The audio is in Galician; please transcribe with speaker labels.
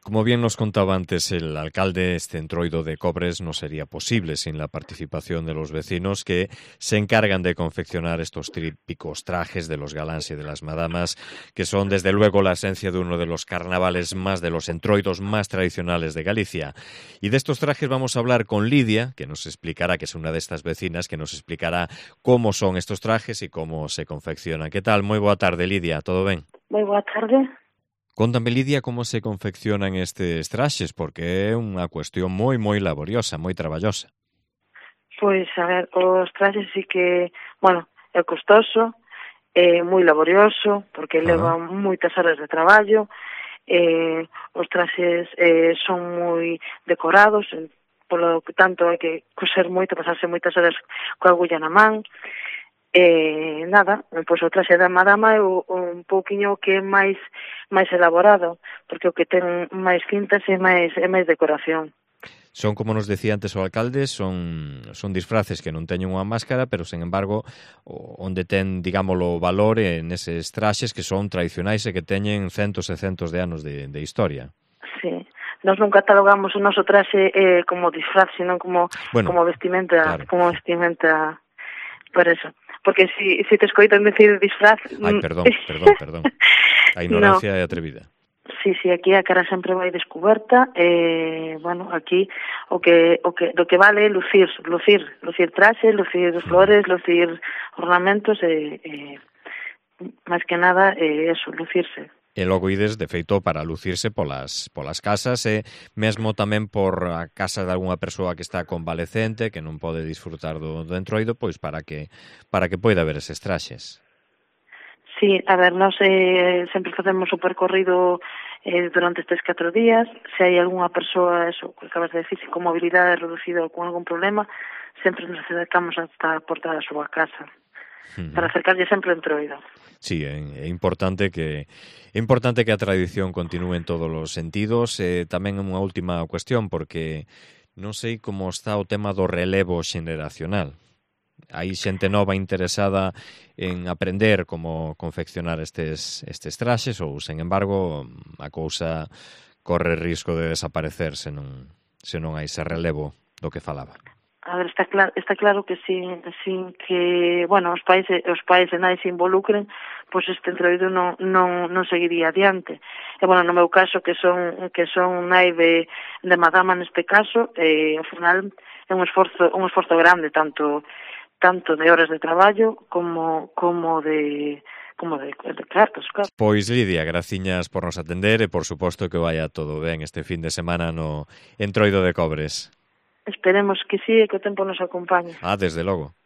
Speaker 1: Como bien nos contaba antes el alcalde, este entroido de Cobres no sería posible sin la participación de los vecinos que se encargan de confeccionar estos típicos trajes de los galáns y de las madamas, que son desde luego la esencia de uno de los carnavales más de los entroidos más tradicionales de Galicia. Y de estos trajes vamos a hablar con Lidia, que nos explicará, que es una de estas vecinas, que nos explicará cómo son estos trajes y cómo se confeccionan. ¿Qué tal? Moi boa tarde, Lidia, todo ben?
Speaker 2: Moi boa tarde.
Speaker 1: Contame, Lidia, como se confeccionan estes traxes, porque é unha cuestión moi laboriosa, moi traballosa.
Speaker 2: Pois, a ver, os traxes sí que, bueno, é costoso, é moi laborioso, porque levan moitas horas de traballo, os traxes son moi decorados, polo que tanto hai que coser moito, pasarse moitas horas coa agulla na man. Nada, pois o traxe da madama é un pouquiño que é máis elaborado, porque o que ten máis cintas é máis decoración.
Speaker 1: Son, como nos decía antes o alcalde, son disfraces que non teñen unha máscara, pero, sen embargo, onde ten, digámoslo, valor en eses traxes que son tradicionais e que teñen centos e centos de anos de historia.
Speaker 2: Sí. Nós non catalogamos o noso traxe como disfraz, sino como vestimenta, claro. Como vestimenta, por eso. Porque si te escoitan decir disfraz...
Speaker 1: Ai, perdón. A ignorancia é atrevida.
Speaker 2: Sí, aquí a cara sempre vai descuberta, bueno, aquí do que vale é lucir traxe, lucir flores, lucir ornamentos, máis que nada eso, lucirse.
Speaker 1: E logo ides, de feito, para lucirse polas casas e mesmo tamén por a casa de algunha persoa que está convalecente, que non pode disfrutar do entroido, pois para que poida ver eses traxes.
Speaker 2: Sí, a ver, nós sempre facemos o percorrido durante estes 4 días. Se hai algunha persoa, eso, que acabas de decir, con mobilidade reducida ou con algún problema, sempre nos acercamos hasta a porta da súa casa para acercarlle sempre o entroido.
Speaker 1: Sí, é importante que a tradición continúe en todos os sentidos. Tamén unha última cuestión, porque non sei como está o tema do relevo xeneracional. Hai xente nova interesada en aprender como confeccionar estes traxes ou, sen embargo, a cousa corre risco de desaparecer se non hai ese relevo do que falaba.
Speaker 2: A ver, está claro que sin que, bueno, os pais e nai se involucren, pois este entroido non seguiría adiante. E, bueno, no meu caso, que son nai de madama neste caso, ao final é un esforzo grande, tanto de horas de traballo como de cartos, claro.
Speaker 1: Pois, Lidia, graciñas por nos atender e, por suposto, que vaya todo ben este fin de semana no entroido de Cobres.
Speaker 2: Esperemos que sí e que o tempo nos acompañe.
Speaker 1: Desde logo.